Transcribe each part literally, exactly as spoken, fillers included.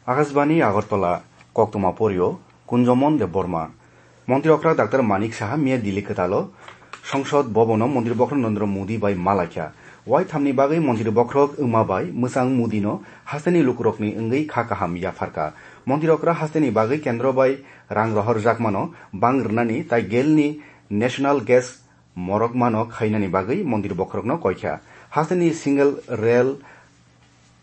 Akashbani Agartala, koktwma porio Kunjomon Debbarma. Montri okra Doctor Manik Saha miya Delhi kwtalo Songsod Bhabono Montri Bokhorok Narendra Modi bai malaikha. Waithamni bagwi Montri Bokhorok wngma bai mwchang Modino hasteni lukurokni wngwi kha kaham yapharkha. Montri okra hasteni bagwi kendro bai rang rohorjakmano bang rwnani tai gelni National Gas morok mano khainani bagwi Montri Bokhorokno koikha. Hasteni single rail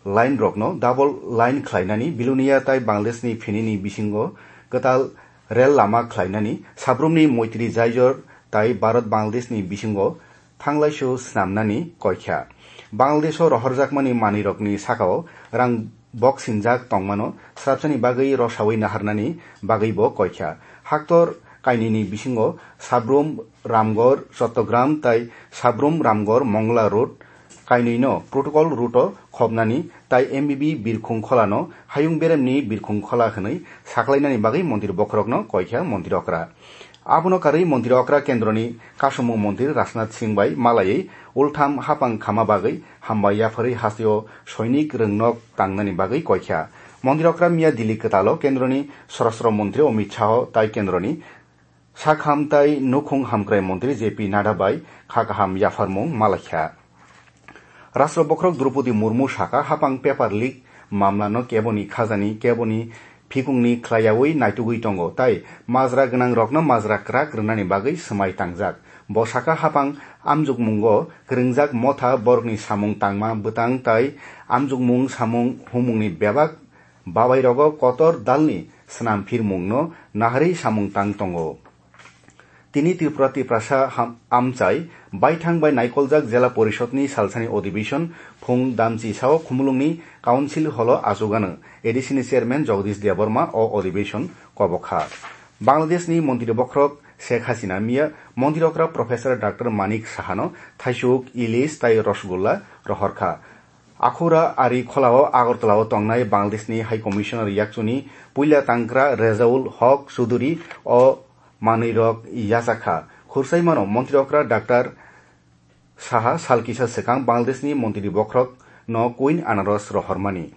line rokno double line khlainani, Bilonia tai Bangladeshni phinini bisingo kwtal rail lama khlainani, sabrumni moitri jaijor tai Bharat Bangladeshni bisingo thanglaisu snamnani koikha. Bangladesho rohorjakmani manwirokni sakao rang bok sinjak tongmano srapsani bagwi rosawi naharnani bagwibo koikha. Haktor kainwini bisingo Sabrum Ramgarh Chattogram tai Sabrum Ramgarh Mongla Road kainwino protocol route-o khopnani tai M B B birkhung kholano hayung beremni birkhung khola hwnwi saklainani bagwi Montri Bokhorokno koikha Montri okra. Abono karwi Montri okra kendroni kasumung Montri Rajnath Singh bai malaiwi ultham hapang khama bagwi hambai yapharwi hasteo soinik rwngnok tangnani bagwi koikha. Montri okra miya Delhi kwtalo kendroni Swarashtra Montri Amit Shah tai kendroni sakham tai nukhung hamkrai Montri J P Nadda bai kha kaham yapharmung malaikha. Rashtra Bokhorok Droupadi Murmu saka, hapang paper leak mamlano keboni khajani, keboni phikungni khlaiyawi naitugwi tongo, tai majra gwnangrokno majra kwrak rwnani bagwi swmai tangjak. Bo saka, hapang amjukmungo kwrwngjak motha borokni samung tangma bwtang tai amjukmung samung humungni bebak babai rogo kotor dalni swnam phirmung no naharwi samung tang tongo. Tini Tripura Tiprasa ham-, amchai baithang bai naikoljak Jela Porishod ni salsani odibeshon phung damchi sao Khumulwng ni Council Hall o achugano A D C ni Chairman Jagadish Debbarma o odibeshon kobokha. Bangladesh ni Montri Bokhorok Sheikh Hasina miya Montri okra Professor Doctor Manik Saha no thaisuk, ilis tai rosgulla rohorkha. Akhura ari kholao Agartala o tongnai Bangladesh ni High Commissioner yakchuni puila tangkra Rezaul Hok Chuduri o manwirok yachakha. Khursaimano Montri okra Doctor Saha sal kisa swkang Bangladesh ni Montri Bokhorok no Queen Anaros rohormani.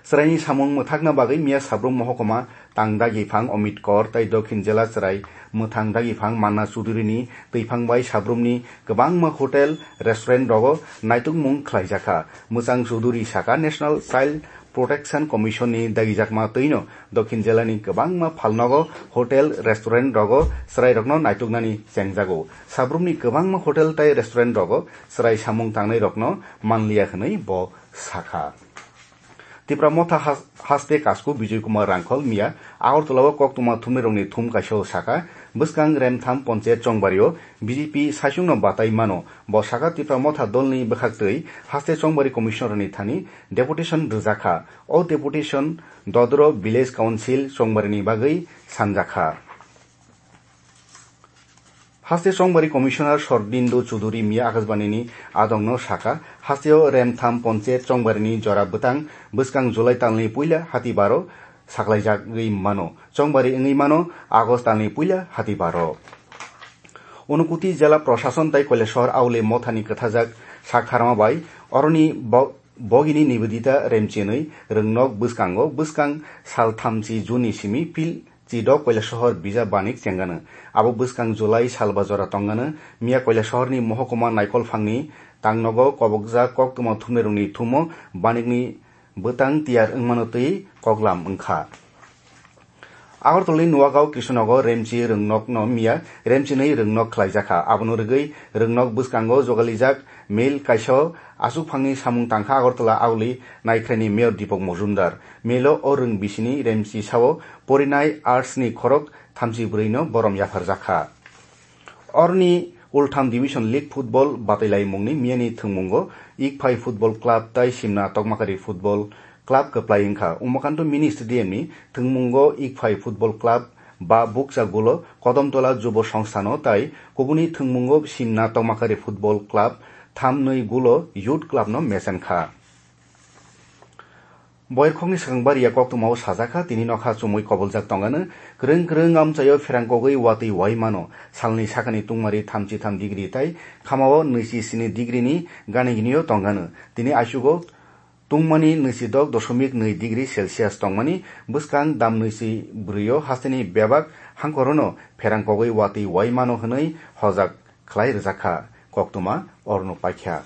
Chwraini samung mwthakna bagwi miya Sabrum mohokoma tang dagi phang Amit Kor tai Dokhin Jela chwrai mwthang dagi phang Manna Chuduri ni twiphang bai Sabrumni kwbangma hotel, restaurant rogo naitukmung khlaijakha. Mwchang Chuduri saka National Child Protection Commission ni dagijakma twino Dokhin Jela ni kwbangma phalnogo hotel, restaurant rogo chwrairokno naituknani chengjago. Sabrumni kwbangma hotel tai restaurant rogo chwrai samung tangnairokno manliya hwnwi bo sakha. Tipra Motha has-, haste kasku Bijoy Kumar Rangkhol miya Agartala o koktwma thumnairokni thum kaisa o saka, bwskang Remtham Ponchayat Chongbario B J P saichungno batai mano. Bo saka Tipra Motha dolni bwkhaktwi haste Chongbari Commissioner ni thani deputation rwjakha. O deputation Dodro Village Council Chongbarini bagwi sanjakha. Haste Chongbari Commissioner Sordindu Chuduri miya Akashbani ni adongno saka, hasteo Remtham Ponchayat Chongbarini jora bwtang bwskang July talni puila hati baro saklaijagwi mano, Chongbari wngwi mano August talni puila hati baro. Unukuti Jela Prosason tai Koilashahar Auli Mothani kwthajak sak tharma bai oroni bo-, bogini Nivedita Remchinwi rwngnok bwskango bwskang sal thamchi June ni simi pil Chidok Koilashahar Bija Banik chengano. Abo bwskang July salba jora tongano. Miya Koilashahar ni mohokuma Naikolphangni tangnogo kobokjak koktwma thumnairokni thumo Banikni bwtang tiyar wngmano twi koklam wngkha. Agartala ni Nuwagao Krishnagar Remchi rwngnokno miya Remchinwi rwngnok khlaijakha. Abono rwgwi rwngnok bwskango jogalijak mail kaisa o achukphangni samung tangkha Agartala Auli Naikhraini Mayor Deepak Majumdar. Mail o o rwng bisini Remchi sao porinai arts ni khorok thamchi bwrwi no borom yapharjakha. Oroni Ultham Division League Football batailaimungni miyani thwngmungo Ikphai Football Club tai Simna Tokmakari Football Club kwplai wngkha. Umakanto Mini Stadium ni thwngmungo Ikphai Football Club ba bukcha gulo Kodamtola Jubo Songstha no tai kubuni thwngmungo Simna Tokmakari Football Club thamnwi gulo Youth Club no mechenkha. Boirkhokni swkang baria koktwmao sajakha, tini nokha chumui koboljak tongano. Kwrwng kwrwng amchaio pherang kogwi watwi wai mano. Salni sakani tungmari thamchi tham degree tai khamao nwichi sini degree ni gani gnio tongano. Tini aisugo Tungmani nwisidok doshomik nwi degree Celsius tongmani bwskang dam nwichi bwrwio hasteni bebak hangkorono pherang kogwi watwi wai mano hwnwi hojak khlai rwjakha. Koktwma orno paikha.